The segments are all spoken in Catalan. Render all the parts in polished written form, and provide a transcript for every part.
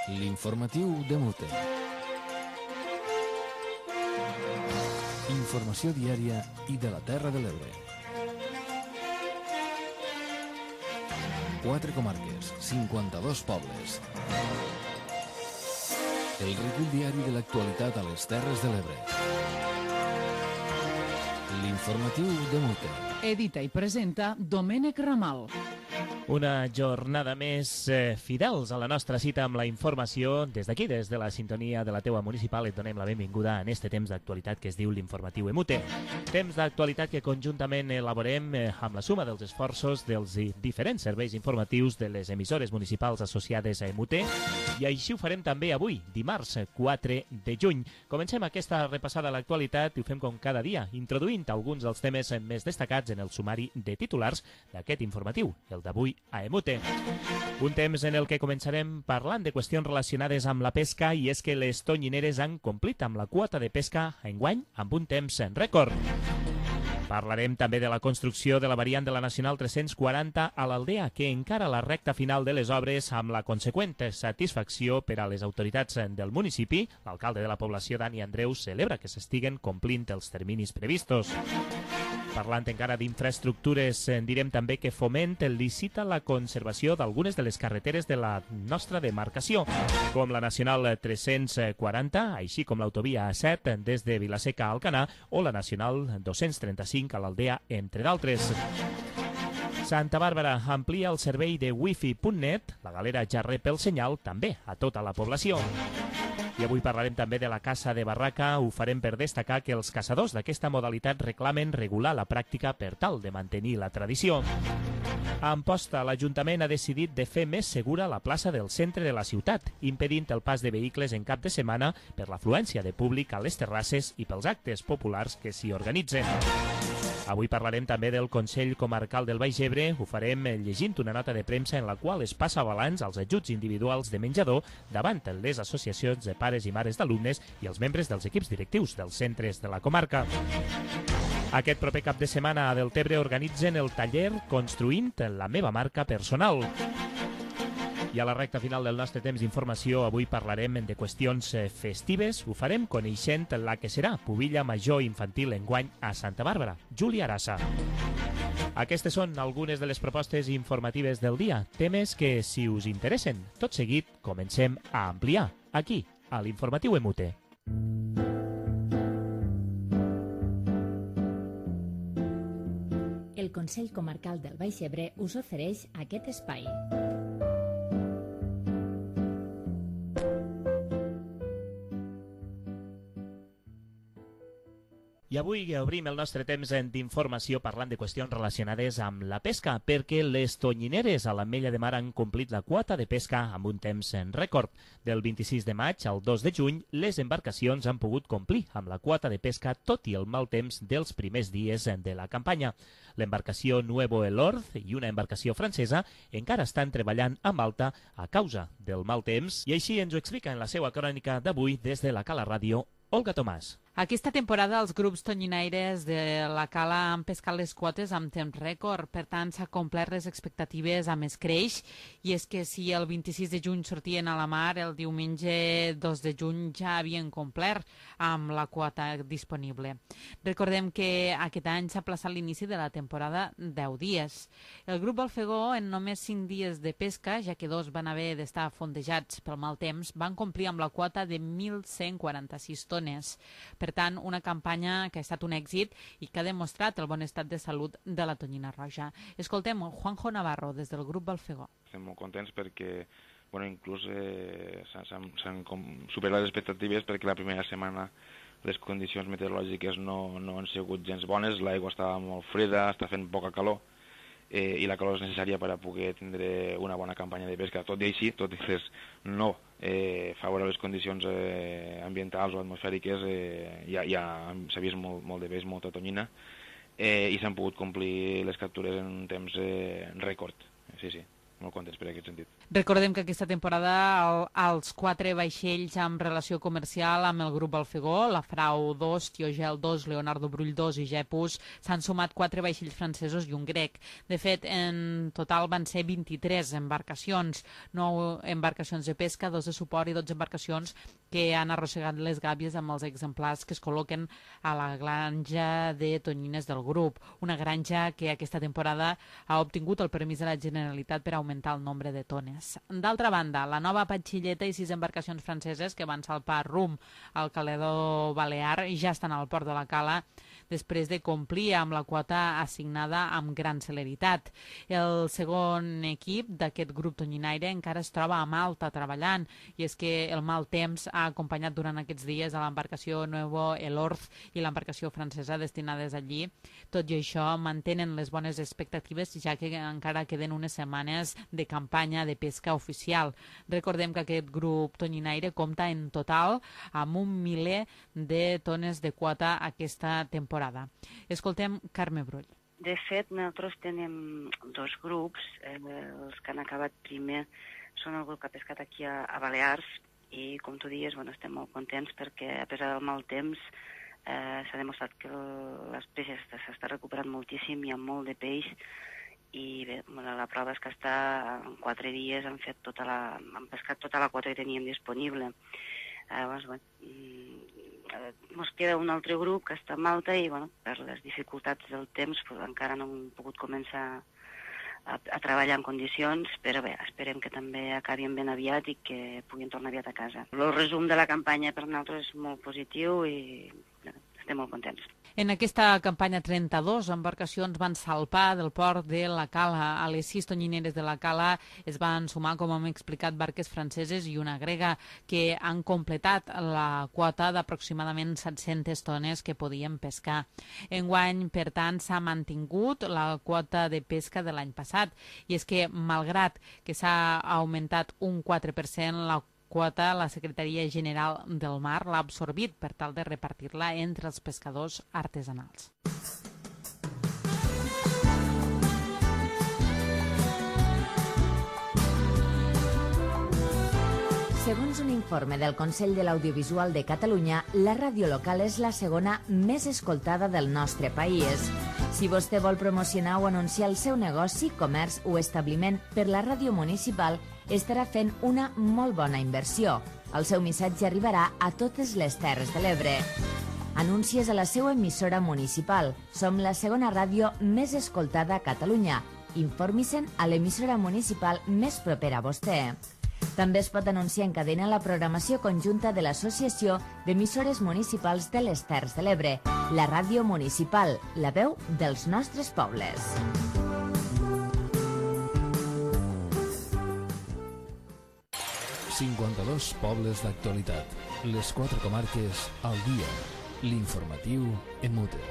L'informatiu de Mute. Informació diària i de la Terra de l'Ebre. 4 comarques, 52 pobles. El recull diari de l'actualitat a les Terres de l'Ebre. L'informatiu de Mute. Edita i presenta Domènec Ramal. Una jornada més fidels a la nostra cita amb la informació. Des d'aquí, des de la sintonia de la teua municipal, et donem la benvinguda en este temps d'actualitat que es diu l'Informatiu Emute. Temps d'actualitat que conjuntament elaborem amb la suma dels esforços dels diferents serveis informatius de les emissores municipals associades a Emute, i així ho farem també avui, dimarts 4 de juny. Comencem aquesta repassada a l'actualitat i ho fem com cada dia, introduint alguns dels temes més destacats en el sumari de titulars d'aquest informatiu, el d'avui a Emute. Un temps en el que començarem parlant de qüestions relacionades amb la pesca, i és que les tonyineres han complit amb la quota de pesca enguany amb un temps rècord. Parlarem també de la construcció de la variant de la Nacional 340 a l'Aldea, que encara la recta final de les obres amb la conseqüent satisfacció per a les autoritats del municipi. L'alcalde de la població, Dani Andreu, celebra que s'estiguen complint els terminis previstos. Parlant encara d'infraestructures, direm també que Foment licita la conservació d'algunes de les carreteres de la nostra demarcació, com la Nacional 340, així com l'autovia A7 des de Vilaseca a Alcanar o la Nacional 235 a l'Aldea, entre d'altres. Santa Bàrbara amplia el servei de wifi.net, la galera ja rep el senyal també a tota la població. I avui parlarem també de la caça de barraca. Ho farem per destacar que els caçadors d'aquesta modalitat reclamen regular la pràctica per tal de mantenir la tradició. A Amposta, l'Ajuntament ha decidit de fer més segura la plaça del centre de la ciutat, impedint el pas de vehicles en cap de setmana per l'afluència de públic a les terrasses i pels actes populars que s'hi organitzen. Avui parlarem també del Consell Comarcal del Baix Ebre. Ho farem llegint una nota de premsa en la qual es passa balanç als ajuts individuals de menjador davant les associacions de pares i mares d'alumnes i els membres dels equips directius dels centres de la comarca. Aquest proper cap de setmana a Deltebre organitzen el taller Construint la meva marca personal. I a la recta final del nostre temps d'informació avui parlarem de qüestions festives. Ho farem coneixent la que serà Pubilla Major Infantil enguany a Santa Bàrbara, Júlia Arassa. Aquestes són algunes de les propostes informatives del dia, temes que, si us interessen, tot seguit comencem a ampliar, aquí, a l'Informatiu Emute. El Consell Comarcal del Baix Ebre us ofereix aquest espai. I avui obrim el nostre temps d'informació parlant de qüestions relacionades amb la pesca, perquè les tonyineres a l'Ametlla de Mar han complit la quota de pesca amb un temps rècord. Del 26 de maig al 2 de juny, les embarcacions han pogut complir amb la quota de pesca tot i el mal temps dels primers dies de la campanya. L'embarcació Nuevo Elorz i una embarcació francesa encara estan treballant amb alta a causa del mal temps, i així ens ho explica en la seva crònica d'avui des de la Cala Ràdio, Olga Tomàs. Aquesta temporada els grups tonyinaires de la Cala han pescat les quotes amb temps rècord, per tant s'ha complert les expectatives amb escreix, i és que si el 26 de juny sortien a la mar, el diumenge 2 de juny ja havien complert amb la quota disponible. Recordem que aquest any s'ha plaçat l'inici de la temporada 10 dies. El grup Alfegó, en només 5 dies de pesca, ja que 2 van haver d'estar fondejats pel mal temps, van complir amb la quota de 1.146 tones. Per tant, una campanya que ha estat un èxit i que ha demostrat el bon estat de salut de la tonyina roja. Escoltem Juanjo Navarro, des del grup Balfegó. Estem molt contents perquè inclús s'han superat les expectatives, perquè la primera setmana les condicions meteorològiques no han sigut gens bones, l'aigua estava molt freda, està fent poca calor, i la calor és necessària per a poder tindre una bona campanya de pesca. Tot i així, tot i les no favorables condicions ambientals o atmosfèriques, ja s'ha vist molt de peix, molta tonyina, i s'han pogut complir les captures en un temps rècord. Sí. contents per aquest sentit. Recordem que aquesta temporada els 4 vaixells amb relació comercial amb el grup Balfegó, la Frau 2, Tiogel 2, Leonardo Brull 2 i Gepus, s'han sumat 4 vaixells francesos i un grec. De fet, en total van ser 23 embarcacions, 9 embarcacions de pesca, 2 de suport i 12 embarcacions que han arrossegat les gàbies amb els exemplars que es col·loquen a la granja de tonyines del grup. Una granja que aquesta temporada ha obtingut el permís de la Generalitat per augmentar el nombre de tones. D'altra banda, la nova Patxilleta i 6 embarcacions franceses que van salpar rumb al Caledó Balear ja estan al port de la Cala després de complir amb la quota assignada amb gran celeritat. El segon equip d'aquest grup tonyinaire encara es troba a Malta treballant, i és que el mal temps ha acompanyat durant aquests dies a l'embarcació Nuevo Elorz i l'embarcació francesa destinades allí. Tot i això, mantenen les bones expectatives, ja que encara queden unes setmanes de campanya de pesca oficial. Recordem que aquest grup tonyinaire compta en total amb 1 miler de tones de quota aquesta temporada. Escoltem Carme Brull. De fet, nosaltres tenim 2 grups. Els que han acabat primer són el grup que ha pescat aquí a Balears i, com tu dius, estem molt contents perquè, a pesar del mal temps, s'ha demostrat que les peces s'està recuperant moltíssim, hi ha molt de peix i bé, la prova és que en 4 dies han pescat tota la quota que teníem disponible. Llavors, ens queda un altre grup que està a Malta i per les dificultats del temps encara no hem pogut començar a treballar en condicions, però bé, esperem que també acabin ben aviat i que puguin tornar aviat a casa. El resum de la campanya per nosaltres és molt positiu i estem molt contents. En aquesta campanya 32 embarcacions van salpar del port de la Cala. A les 6 tonyineres de la Cala es van sumar, com hem explicat, barques franceses i una grega que han completat la quota d'aproximadament 700 tones que podien pescar. Enguany, per tant, s'ha mantingut la quota de pesca de l'any passat, i és que, malgrat que s'ha augmentat un 4% la quota, la Secretaria General del Mar l'ha absorbit per tal de repartir-la entre els pescadors artesanals. Segons un informe del Consell de l'Audiovisual de Catalunya, la ràdio local és la segona més escoltada del nostre país. Si vostè vol promocionar o anunciar el seu negoci, comerç o establiment per la ràdio municipal, estarà fent una molt bona inversió. El seu missatge arribarà a totes les Terres de l'Ebre. Anuncies a la seva emissora municipal. Som la segona ràdio més escoltada a Catalunya. Informi-se'n a l'emissora municipal més propera a vostè. També es pot anunciar en cadena la programació conjunta de l'Associació d'Emissores Municipals de les Terres de l'Ebre, la ràdio municipal, la veu dels nostres pobles. ...52 pobles d'actualitat. Les 4 comarques al dia. L'informatiu en Mute.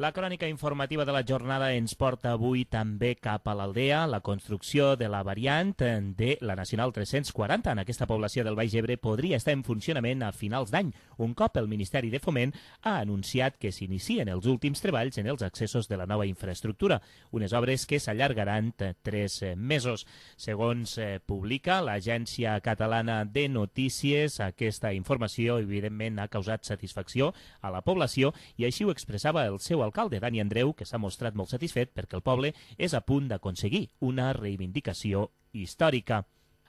La crònica informativa de la jornada ens porta avui també cap a l'Aldea, la construcció de la variant de la Nacional 340 en aquesta població del Baix Ebre podria estar en funcionament a finals d'any, un cop el Ministeri de Foment ha anunciat que s'inicien els últims treballs en els accessos de la nova infraestructura, unes obres que s'allargaran 3 mesos. Segons publica l'Agència Catalana de Notícies, aquesta informació evidentment ha causat satisfacció a la població i així ho expressava el seu alcalde, Dani Andreu, que s'ha mostrat molt satisfet perquè el poble és a punt d'aconseguir una reivindicació històrica.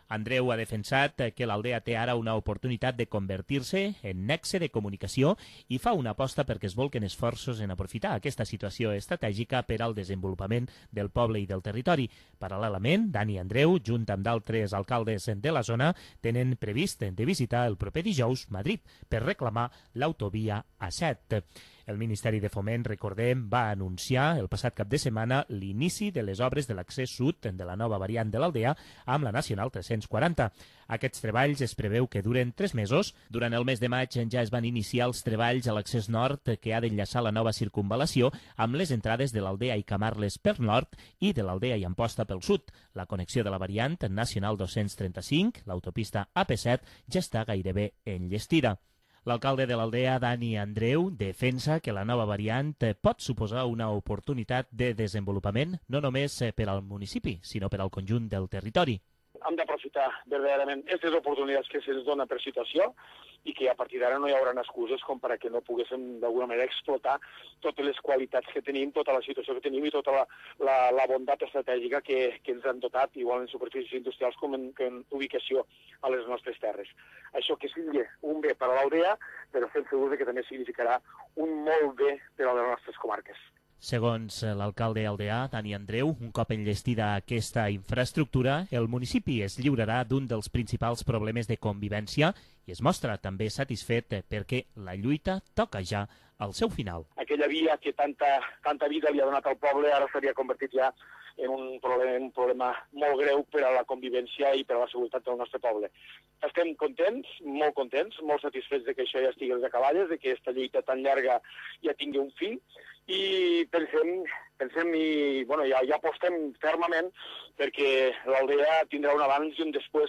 Andreu ha defensat que l'Aldea té ara una oportunitat de convertir-se en nexe de comunicació i fa una aposta perquè es bolquen esforços en aprofitar aquesta situació estratègica per al desenvolupament del poble i del territori. Paral·lelament, Dani Andreu, junt amb d'altres alcaldes de la zona, tenen previst de visitar el proper dijous Madrid per reclamar l'autovia A7. El Ministeri de Foment, recordem, va anunciar el passat cap de setmana l'inici de les obres de l'accés sud de la nova variant de l'Aldea amb la Nacional 340. Aquests treballs es preveu que duren 3 mesos. Durant el mes de maig ja es van iniciar els treballs a l'accés nord que ha d'enllaçar la nova circunvalació amb les entrades de l'Aldea i Camarles per nord i de l'Aldea i Amposta pel sud. La connexió de la variant Nacional 235, l'autopista AP7, ja està gairebé enllestida. L'alcalde de l'Aldea, Dani Andreu, defensa que la nova variant pot suposar una oportunitat de desenvolupament no només per al municipi, sinó per al conjunt del territori. Hem d'aprofitar verdaderament aquestes oportunitats que se'ns dona per situació i que a partir d'ara no hi haurà excuses com per a que no poguéssim d'alguna manera explotar totes les qualitats que tenim, tota la situació que tenim i tota la bondat estratègica que ens han dotat, igual en superfícies industrials com en ubicació a les nostres terres. Això que sigui un bé per a l'Aldea, però estem segurs que també significarà un molt bé per a les nostres comarques. Segons l'alcalde aldeà, Dani Andreu, un cop enllestida aquesta infraestructura, el municipi es lliurarà d'un dels principals problemes de convivència i es mostra també satisfet perquè la lluita toca ja al seu final. Aquella via que tanta vida li ha donat al poble ara s'havia convertit ja en un problema molt greu per a la convivència i per a la seguretat del nostre poble. Estem contents, molt satisfets de que això ja estigui als acaballes, de que aquesta lluita tan llarga ja tingui un fi, i pensem i ja apostem fermament perquè l'Aldea tindrà un abans i un després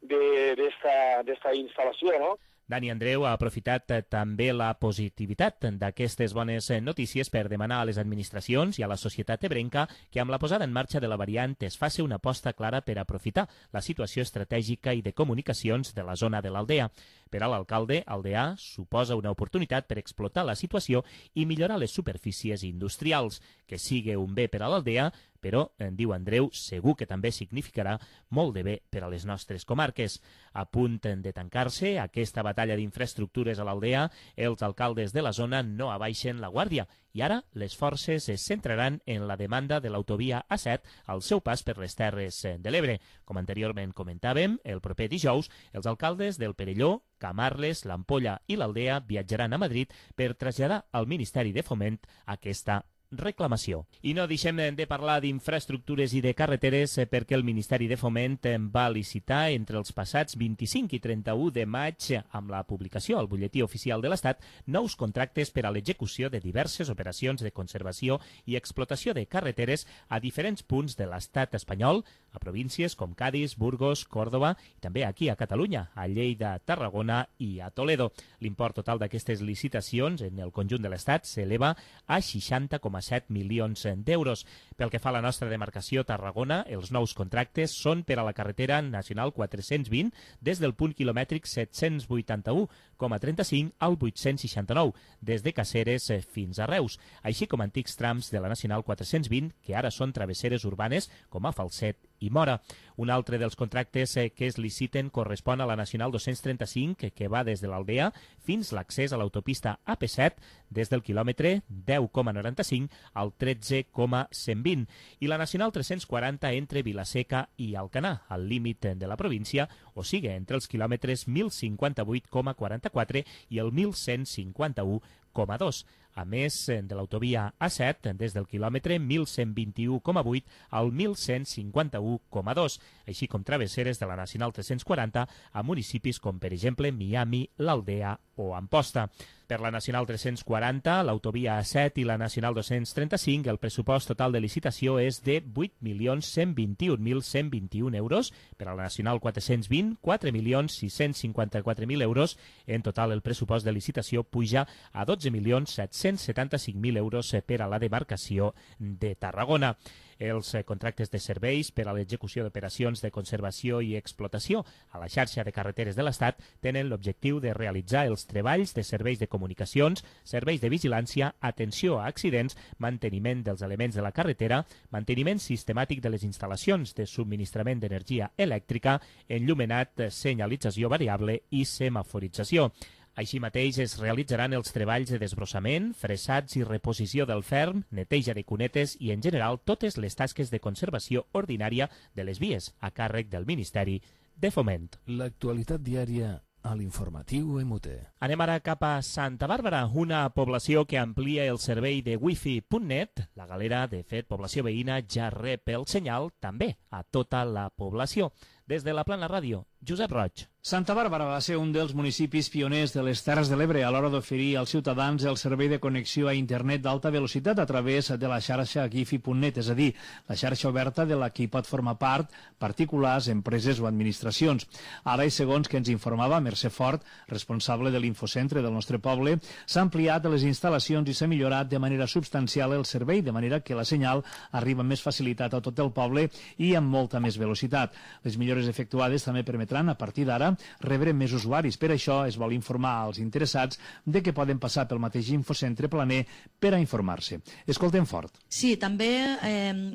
d'esta instal·lació, no? Dani Andreu ha aprofitat també la positivitat d'aquestes bones notícies per demanar a les administracions i a la societat ebrenca que amb la posada en marxa de la variant es faci una aposta clara per aprofitar la situació estratègica i de comunicacions de la zona de l'Aldea. Per a l'alcalde, aldeà suposa una oportunitat per explotar la situació i millorar les superfícies industrials, que sigui un bé per a l'Aldea, però, diu Andreu, segur que també significarà molt de bé per a les nostres comarques. A punt de tancar-se aquesta batalla d'infraestructures a l'Aldea, els alcaldes de la zona no abaixen la guàrdia i ara les forces es centraran en la demanda de l'autovia A7 al seu pas per les Terres de l'Ebre. Com anteriorment comentàvem, el proper dijous, els alcaldes del Perelló, Camarles, l'Ampolla i l'Aldea viatjaran a Madrid per traslladar al Ministeri de Foment aquesta reclamació. I no deixem de parlar d'infraestructures i de carreteres perquè el Ministeri de Foment va licitar entre els passats 25 i 31 de maig amb la publicació al Butlletí Oficial de l'Estat nous contractes per a l'execució de diverses operacions de conservació i explotació de carreteres a diferents punts de l'Estat espanyol, a províncies com Cádiz, Burgos, Córdoba i també aquí a Catalunya, a Lleida, Tarragona i a Toledo. L'import total d'aquestes licitacions en el conjunt de l'Estat s'eleva a 60,7 milions d'euros. Pel que fa a la nostra demarcació Tarragona, els nous contractes són per a la carretera nacional 420 des del punt quilomètric 781,35 al 869, des de Caceres fins a Reus, així com antics trams de la nacional 420 que ara són travesseres urbanes com a Falset i Mora. Un altre dels contractes que es liciten correspon a la nacional 235 que va des de l'Aldea fins l'accés a l'autopista AP7 des del quilòmetre 10,95 al 13,120 i la nacional 340 entre Vilaseca i Alcanar, al límit de la província, o sigui entre els quilòmetres 1058,44 i el 1151,2. A més de l'autovia A7 des del quilòmetre 1121,8 al 1151,2, així com travesseres de la nacional 340 a municipis com, per exemple, Miami, l'Aldea o Amposta. Per la nacional 340, l'autovia A7 i la nacional 235, el pressupost total de licitació és de 8.121.121 euros. Per a la nacional 420, 4.654.000 euros. En total, el pressupost de licitació puja a 12.775.000 euros per a la demarcació de Tarragona. Els contractes de serveis per a l'execució d'operacions de conservació i explotació a la xarxa de carreteres de l'Estat tenen l'objectiu de realitzar els treballs de serveis de comunicacions, serveis de vigilància, atenció a accidents, manteniment dels elements de la carretera, manteniment sistemàtic de les instal·lacions de subministrament d'energia elèctrica, enllumenat, senyalització variable i semaforització. Així mateix es realitzaran els treballs de desbrossament, fresats i reposició del ferm, neteja de cunetes i, en general, totes les tasques de conservació ordinària de les vies a càrrec del Ministeri de Foment. L'actualitat diària a l'informatiu EMUTE. Anem ara cap a Santa Bàrbara, una població que amplia el servei de wifi.net. La Galera, de fet, població veïna, ja rep el senyal també a tota la població. Des de la Plana Ràdio, Josep Roig. Santa Bàrbara va ser un dels municipis pioners de les Terres de l'Ebre a l'hora d'oferir als ciutadans el servei de connexió a internet d'alta velocitat a través de la xarxa Gifi.net, és a dir, la xarxa oberta de la que hi pot formar part particulars, empreses o administracions. Ara, i segons que ens informava Mercè Fort, responsable de l'infocentre del nostre poble, s'ha ampliat les instal·lacions i s'ha millorat de manera substancial el servei, de manera que la senyal arriba amb més facilitat a tot el poble i amb molta més velocitat. Les millores efectuades també permetran, a partir d'ara, rebre més usuaris. Per això es vol informar als interessats de que poden passar pel mateix infocentre planer per a informar-se. Escoltem Fort. Sí, també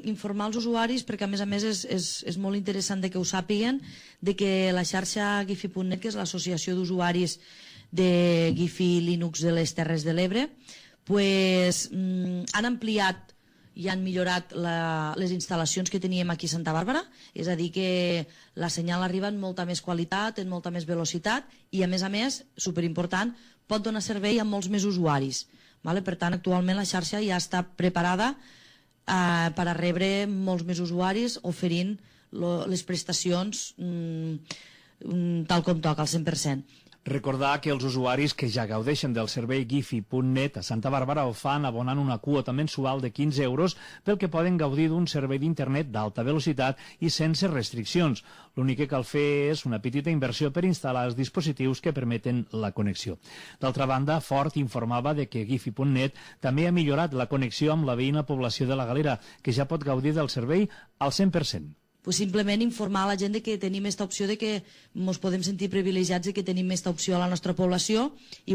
informar els usuaris, perquè a més és molt interessant de que ho sàpiguen, de que la xarxa Gifi.net, que és l'associació d'usuaris de Gifi Linux de les Terres de l'Ebre, han ampliat i han millorat les instal·lacions que teníem aquí a Santa Bàrbara, és a dir que la senyal arriba amb molta més qualitat, amb molta més velocitat i a més, superimportant, pot donar servei a molts més usuaris. Per tant, actualment la xarxa ja està preparada per a rebre molts més usuaris oferint les prestacions tal com toca, al 100%. Recordar que els usuaris que ja gaudeixen del servei Gifi.net a Santa Bàrbara ho fan abonant una quota mensual de 15 euros pel que poden gaudir d'un servei d'internet d'alta velocitat i sense restriccions. L'únic que cal fer és una petita inversió per instal·lar els dispositius que permeten la connexió. D'altra banda, Fort informava de que Gifi.net també ha millorat la connexió amb la veïna població de la Galera, que ja pot gaudir del servei al 100%. Simplement informar a la gent de que tenim aquesta opció, de que ens podem sentir privilegiats de que tenim aquesta opció a la nostra població i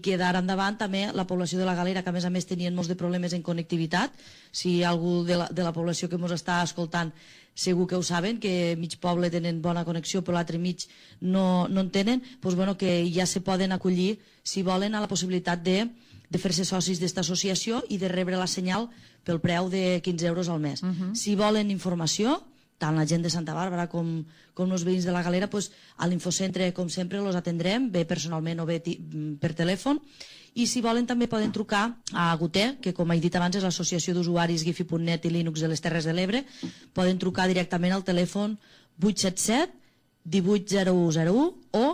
que d'ara endavant també la població de la Galera, que a més tenien molts de problemes en connectivitat, si algú de la població que ens està escoltant segur que ho saben, que mig poble tenen bona connexió però l'altre mig no en tenen, que ja se poden acollir, si volen, a la possibilitat de fer-se socis d'esta associació i de rebre la senyal pel preu de 15 euros al mes. Si volen informació, tant la gent de Santa Bàrbara com els veïns de la Galera, a l'infocentre, com sempre, els atendrem, bé personalment o bé per telèfon, i si volen també poden trucar a Guter, que com he dit abans és l'associació d'usuaris Gifi.net i Linux de les Terres de l'Ebre, poden trucar directament al telèfon 877 180101 o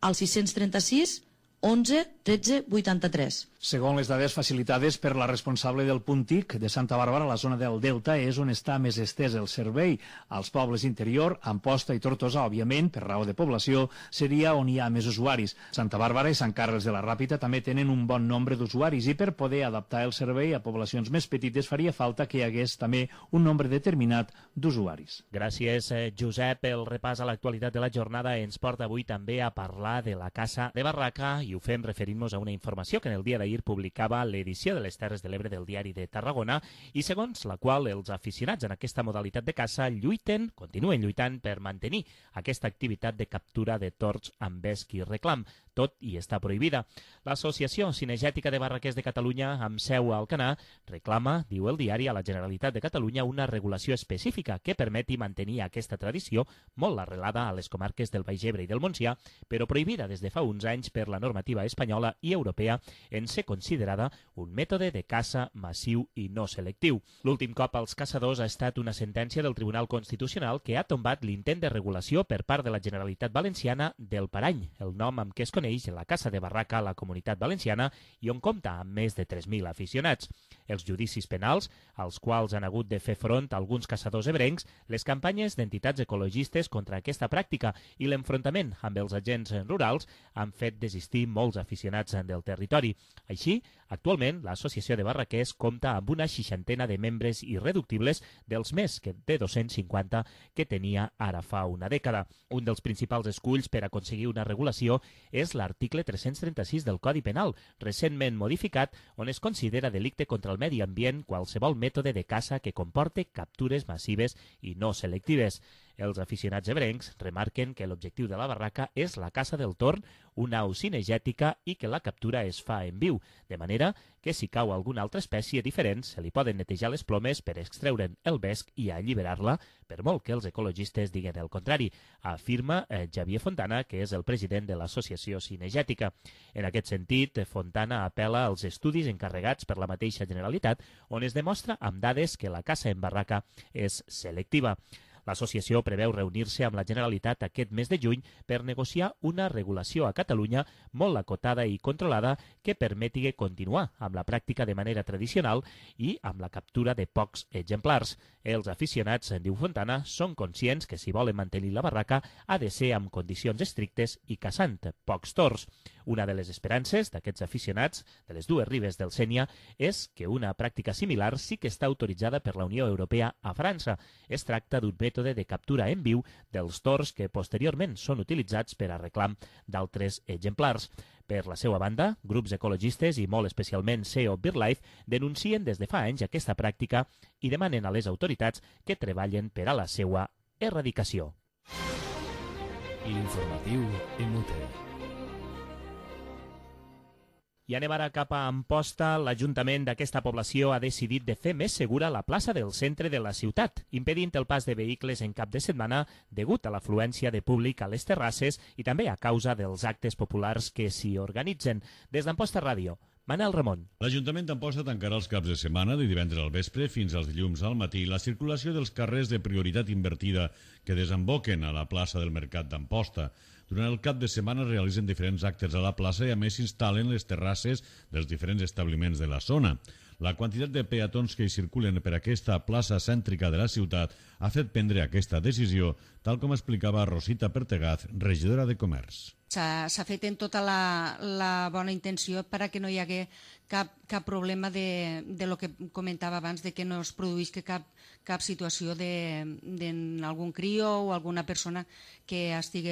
al 636 11 13 83. Segons les dades facilitades per la responsable del punt TIC de Santa Bàrbara, la zona del Delta és on està més estès el servei. Als pobles interior, Amposta i Tortosa, òbviament, per raó de població, seria on hi ha més usuaris. Santa Bàrbara i Sant Carles de la Ràpita també tenen un bon nombre d'usuaris i per poder adaptar el servei a poblacions més petites faria falta que hi hagués també un nombre determinat d'usuaris. Gràcies, Josep. El repàs a l'actualitat de la jornada ens porta avui també a parlar de la Casa de Barraca i ho fem referint-nos a una informació que en el dia d'ahir publicava l'edició de les Terres de l'Ebre del Diari de Tarragona i segons la qual els aficionats en aquesta modalitat de caça continuen lluitant per mantenir aquesta activitat de captura de tords amb vesc i reclam, tot i està prohibida. L'Associació Cinegètica de Barraquers de Catalunya, amb seu a Alcanar, reclama, diu el diari, a la Generalitat de Catalunya una regulació específica que permeti mantenir aquesta tradició molt arrelada a les comarques del Baix Ebre i del Montsià, però prohibida des de fa uns anys per la normativa espanyola i europea en ser considerada un mètode de caça massiu i no selectiu. L'últim cop als caçadors ha estat una sentència del Tribunal Constitucional que ha tombat l'intent de regulació per part de la Generalitat Valenciana del Parany, el nom amb què es coneix la Caça de Barraca a la Comunitat Valenciana i on compta amb més de 3.000 aficionats. Els judicis penals, als quals han hagut de fer front alguns caçadors ebrencs, les campanyes d'entitats ecologistes contra aquesta pràctica i l'enfrontament amb els agents rurals han fet desistir molts aficionats del territori. Així, actualment, l'Associació de Barraquers compta amb una 60 de membres irreductibles dels més de 250 que tenia ara fa una dècada. Un dels principals esculls per aconseguir una regulació és l'article 336 del Codi Penal, recentment modificat, on es considera delicte contra el medi ambient qualsevol mètode de caça que comporte captures massives i no selectives. Els aficionats ebrencs remarquen que l'objectiu de la barraca és la caça del torn, una au cinegètica i que la captura es fa en viu, de manera que si cau alguna altra espècie diferent se li poden netejar les plomes per extreure'n el vesc i alliberar-la, per molt que els ecologistes diguen el contrari, afirma Xavier Fontana, que és el president de l'Associació Cinegètica. En aquest sentit, Fontana apel·la als estudis encarregats per la mateixa Generalitat, on es demostra amb dades que la caça en barraca és selectiva. L'associació preveu reunir-se amb la Generalitat aquest mes de juny per negociar una regulació a Catalunya molt acotada i controlada que permeti continuar amb la pràctica de manera tradicional i amb la captura de pocs exemplars. Els aficionats, diu Fontana, són conscients que si volen mantenir la barraca ha de ser amb condicions estrictes i caçant pocs tors. Una de les esperances d'aquests aficionats de les dues ribes del Sénia és que una pràctica similar sí que està autoritzada per la Unió Europea a França. Es tracta d'un mètode de captura en viu dels tors que posteriorment són utilitzats per a reclam d'altres exemplars. Per la seva banda, grups ecologistes i molt especialment SEO BirdLife denuncien des de fa anys aquesta pràctica i demanen a les autoritats que treballen per a la seva erradicació. L'informatiu EMUTE. I anem ara cap a Amposta. L'Ajuntament d'aquesta població ha decidit de fer més segura la plaça del centre de la ciutat, impedint el pas de vehicles en cap de setmana degut a l'afluència de públic a les terrasses i també a causa dels actes populars que s'hi organitzen. Des d'Amposta Ràdio, Manel Ramon. L'Ajuntament d'Amposta tancarà els caps de setmana de divendres al vespre fins als dilluns al matí la circulació dels carrers de prioritat invertida que desemboquen a la plaça del Mercat d'Amposta. Durant el cap de setmana es realitzen diferents actes a la plaça i a més s'instal·len les terrasses dels diferents establiments de la zona. La quantitat de peatons que hi circulen per aquesta plaça cèntrica de la ciutat ha fet prendre aquesta decisió, tal com explicava Rosita Pertegaz, regidora de Comerç. S'ha fet en tota la bona intenció perquè no hi hagué cap problema de lo que comentava abans, de que no es produís cap situació d'algun crio o alguna persona que estigui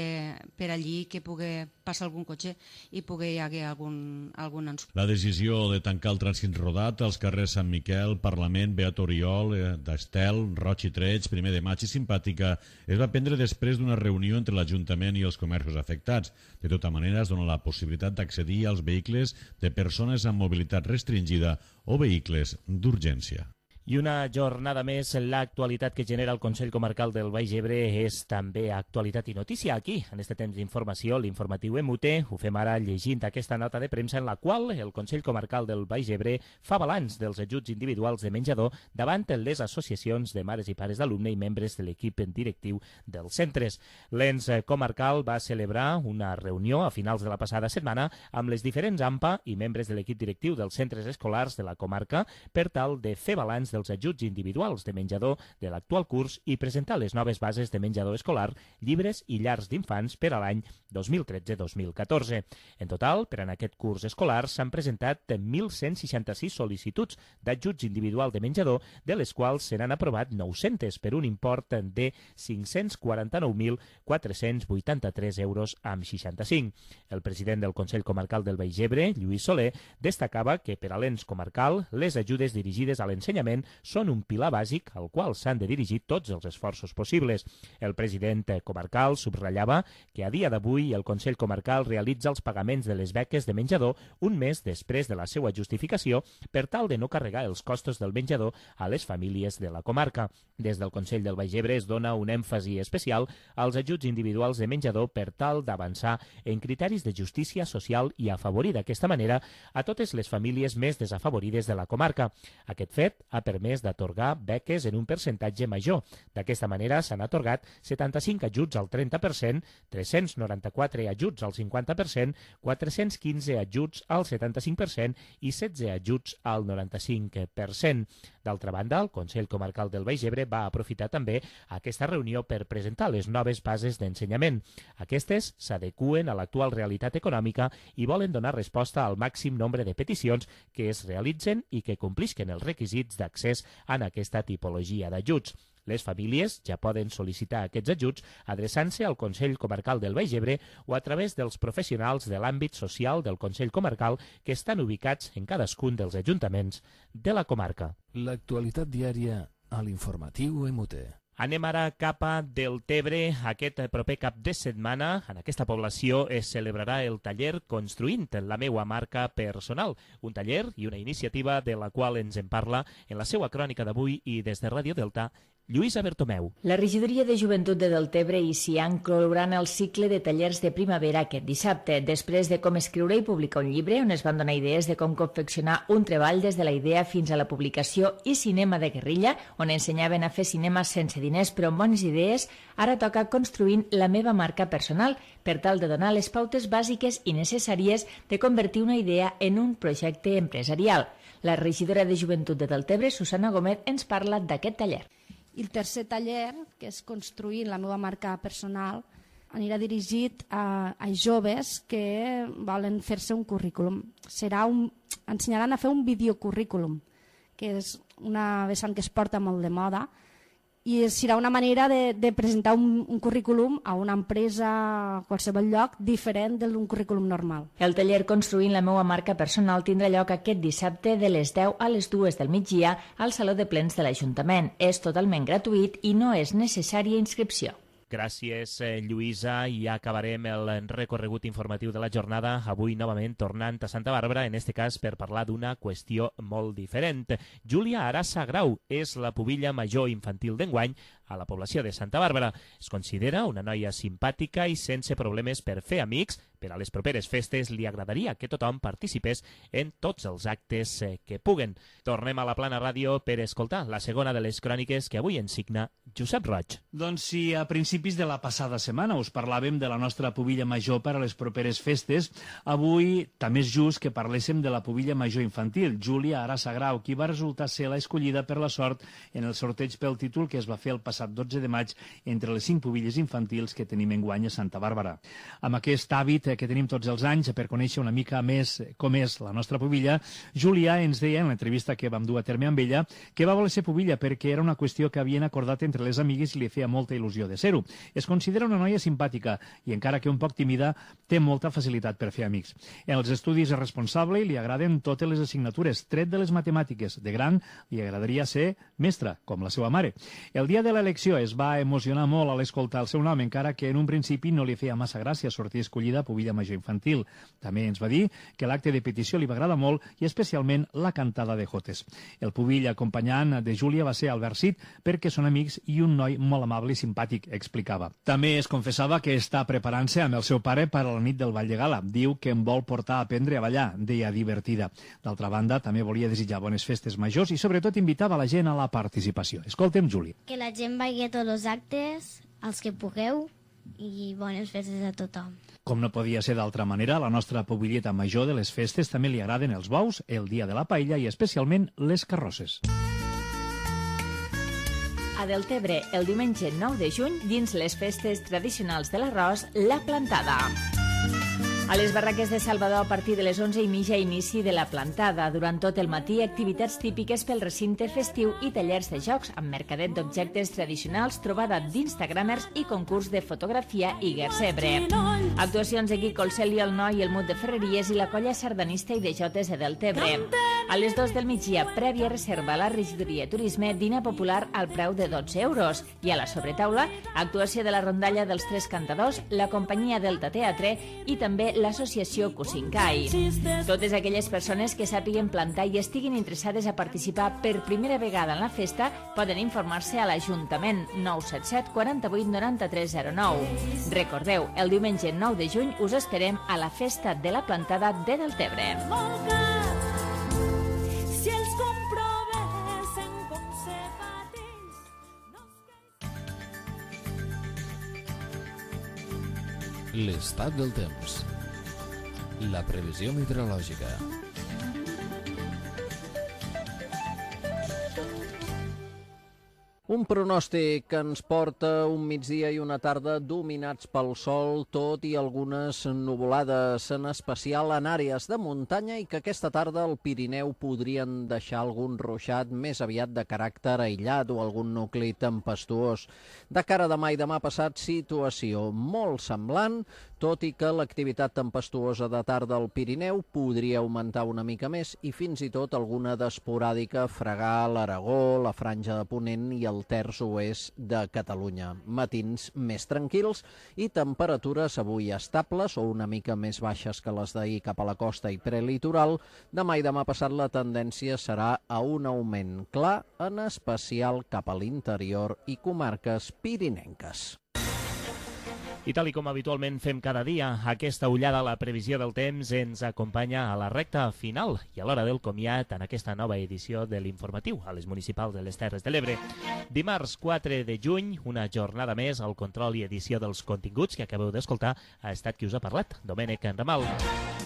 per allí, que pugui passar algun cotxe i pugui haver algun ensurt. La decisió de tancar el trànsit rodat als carrers Sant Miquel, Parlament, Beat Oriol, d'Estel, Roig i Treig, 1 de maig i Simpàtica es va prendre després d'una reunió entre l'Ajuntament i els comerços afectats. De tota manera, es dona la possibilitat d'accedir als vehicles de persones amb mobilitat restringida o vehicles d'urgència. I una jornada més, l'actualitat que genera el Consell Comarcal del Baix Ebre és també actualitat i notícia aquí, en este temps d'informació, l'informatiu EMUTE. Ho fem ara llegint aquesta nota de premsa en la qual el Consell Comarcal del Baix Ebre fa balanç dels ajuts individuals de menjador davant les associacions de mares i pares d'alumne i membres de l'equip directiu dels centres. L'ens comarcal va celebrar una reunió a finals de la passada setmana amb les diferents AMPA i membres de l'equip directiu dels centres escolars de la comarca per tal de fer balanç dels ajuts individuals de menjador de l'actual curs i presentar les noves bases de menjador escolar, llibres i llars d'infants per a l'any 2013-2014. En total, per en aquest curs escolar s'han presentat 1.166 sol·licituds d'ajuts individual de menjador, de les quals se n'han aprovat 900 per un import de 549.483 euros amb 65. El president del Consell Comarcal del Baix Ebre, Lluís Soler, destacava que per a l'ens comarcal les ajudes dirigides a l'ensenyament són un pilar bàsic al qual s'han de dirigir tots els esforços possibles. El president comarcal subratllava que a dia d'avui el Consell Comarcal realitza els pagaments de les beques de menjador un mes després de la seva justificació per tal de no carregar els costos del menjador a les famílies de la comarca. Des del Consell del Baix Ebre es dona un èmfasi especial als ajuts individuals de menjador per tal d'avançar en criteris de justícia social i afavorir d'aquesta manera a totes les famílies més desafavorides de la comarca. Aquest fet ha permès d'atorgar beques en un percentatge major. D'aquesta manera s'han atorgat 75 ajuts al 30%, 394 ajuts al 50%, 415 ajuts al 75% i 16 ajuts al 95%. D'altra banda, el Consell Comarcal del Baix Ebre va aprofitar també aquesta reunió per presentar les noves bases d'ensenyament. Aquestes s'adeqüen a l'actual realitat econòmica i volen donar resposta al màxim nombre de peticions que es realitzen i que complisquen els requisits d'accés en aquesta tipologia d'ajuts. Les famílies ja poden sol·licitar aquests ajuts adreçant-se al Consell Comarcal del Baix Ebre o a través dels professionals de l'àmbit social del Consell Comarcal que estan ubicats en cadascun dels ajuntaments de la comarca. L'actualitat diària a l'informatiu EMUTE. Anem ara cap a Deltebre. Aquest proper cap de setmana en aquesta població es celebrarà el taller Construint la meua marca personal, un taller i una iniciativa de la qual ens en parla en la seva crònica d'avui i des de Ràdio Delta Lluïsa Bertomeu. La regidoria de Joventut de Deltebre i Cian clouran el cicle de tallers de primavera aquest dissabte, després de com escriure i publicar un llibre, on es van donar idees de com confeccionar un treball des de la idea fins a la publicació, i cinema de guerrilla, on ensenyaven a fer cinema sense diners però amb bones idees. Ara toca construint la meva marca personal, per tal de donar les pautes bàsiques i necessàries de convertir una idea en un projecte empresarial. La regidora de Joventut de Deltebre, Susana Gómez, ens parla d'aquest taller. I el tercer taller, que és construir la meva marca personal, anirà dirigit a joves que volen fer-se un currículum. Ensenyaran a fer un videocurrículum, que és una vessant que es porta molt de moda, i serà una manera de presentar un currículum a una empresa, a qualsevol lloc, diferent d'un currículum normal. El taller Construint la meva marca personal tindrà lloc aquest dissabte de les 10 a les 2 del migdia al Saló de Plens de l'Ajuntament. És totalment gratuït i no és necessària inscripció. Gràcies, Lluïsa, i acabarem el recorregut informatiu de la jornada, avui novament tornant a Santa Bàrbara, en este cas per parlar d'una qüestió molt diferent. Júlia Arassa Grau és la pubilla major infantil d'enguany a la població de Santa Bàrbara. Es considera una noia simpàtica i sense problemes per fer amics. Per a les properes festes li agradaria que tothom participés en tots els actes que puguen. Tornem a la Plana Ràdio per escoltar la segona de les cròniques que avui ens signa Josep Roig. Doncs si a principis de la passada setmana us parlàvem de la nostra pubilla major per a les properes festes, avui també és just que parléssim de la pubilla major infantil, Júlia Arassa Grau, qui va resultar ser la escollida per la sort en el sorteig pel títol que es va fer el passat 12 de maig entre les 5 pubilles infantils que tenim enguany a Santa Bàrbara. Amb aquest hàbit que tenim tots els anys per conèixer una mica més com és la nostra pubilla, Júlia ens deia en l'entrevista que vam dur a terme amb ella que va voler ser pubilla perquè era una qüestió que havien acordat entre les amigues i li feia molta il·lusió de ser-ho. Es considera una noia simpàtica i encara que un poc tímida té molta facilitat per fer amics. En els estudis és responsable i li agraden totes les assignatures, tret de les matemàtiques. De gran li agradaria ser mestra, com la seva mare. El dia de l'elecció es va emocionar molt a l'escoltar el seu nom, encara que en un principi no li feia massa gràcia sortir escollida pubilla major infantil. També ens va dir que l'acte de petició li va agradar molt i especialment la cantada de jotes. El pubill acompanyant de Júlia va ser Albert Cid perquè són amics i un noi molt amable i simpàtic, explicava. També es confessava que està preparant-se amb el seu pare per a la nit del Ball de Gala. Diu que em vol portar a aprendre a ballar, deia divertida. D'altra banda, també volia desitjar bones festes majors i sobretot invitava la gent a la participació. Escoltem Júlia. Que la gent vagi a tots els actes, els que pugueu, i bones festes a tothom. Com no podia ser d'altra manera, a la nostra pubilleta major de les festes també li agraden els bous, el dia de la paella i especialment les carrosses. A Deltebre, el diumenge 9 de juny, dins les festes tradicionals de l'arròs, la plantada. A les barraques de Salvador, a partir de les 11:30, inici de la plantada. Durant tot el matí, activitats típiques pel recinte festiu i tallers de jocs, amb mercadet d'objectes tradicionals, trobada d'instagramers i concurs de fotografia i gersebre. Actuacions de Quico, el Cel i el Noi, el Mut de Ferreries i la colla sardanista i de jotes de Deltebre. A les 2 del migdia, prèvia reserva a la regidoria de turisme, dinar popular al preu de 12 euros. I a la sobretaula, actuació de la rondalla dels Tres Cantadors, la companyia Delta Teatre i també l'associació Cusincai. Totes aquelles persones que sàpiguen plantar i estiguin interessades a participar per primera vegada en la festa poden informar-se a l'Ajuntament 977 48 93 09. Recordeu, el diumenge 9 de juny us esperem a la Festa de la Plantada de Deltebre. L'estat del temps. La previsió meteorològica. Un pronòstic que ens porta un migdia i una tarda dominats pel sol, tot i algunes nuvolades, en especial en àrees de muntanya, i que aquesta tarda al Pirineu podrien deixar algun ruixat més aviat de caràcter aïllat o algun nucli tempestuós. De cara a demà i demà passat, situació molt semblant, tot i que l'activitat tempestuosa de tarda al Pirineu podria augmentar una mica més i fins i tot alguna d'esporàdica fregar l'Aragó, la Franja de Ponent i el terç oest de Catalunya. Matins més tranquils i temperatures avui estables o una mica més baixes que les d'ahir cap a la costa i prelitoral. Demà i demà passat la tendència serà a un augment clar, en especial cap a l'interior i comarques pirinenques. I tal com habitualment fem cada dia, aquesta ullada a la previsió del temps ens acompanya a la recta final i a l'hora del comiat en aquesta nova edició de l'Informatiu a les municipals de les Terres de l'Ebre. Dimarts 4 de juny, una jornada més, al control i edició dels continguts que acabeu d'escoltar ha estat qui us ha parlat, Domènec Ramal.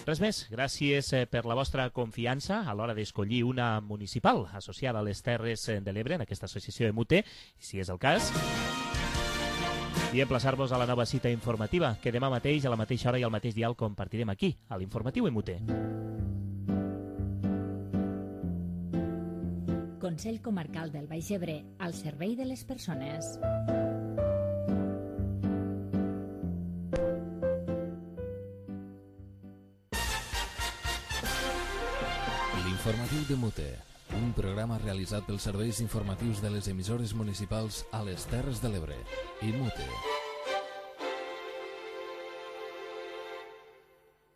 Res més, gràcies per la vostra confiança a l'hora d'escollir una municipal associada a les Terres de l'Ebre en aquesta associació EMUTE, si és el cas. I emplaçar-vos a la nova cita informativa, que demà mateix, a la mateixa hora i al mateix dial, compartirem aquí, a l'Informatiu EMUTE. Consell Comarcal del Baix Ebre, al servei de les persones. L'Informatiu d'EMUTE, un programa realitzat pels serveis informatius de les emissores municipals a les Terres de l'Ebre. EMUTE.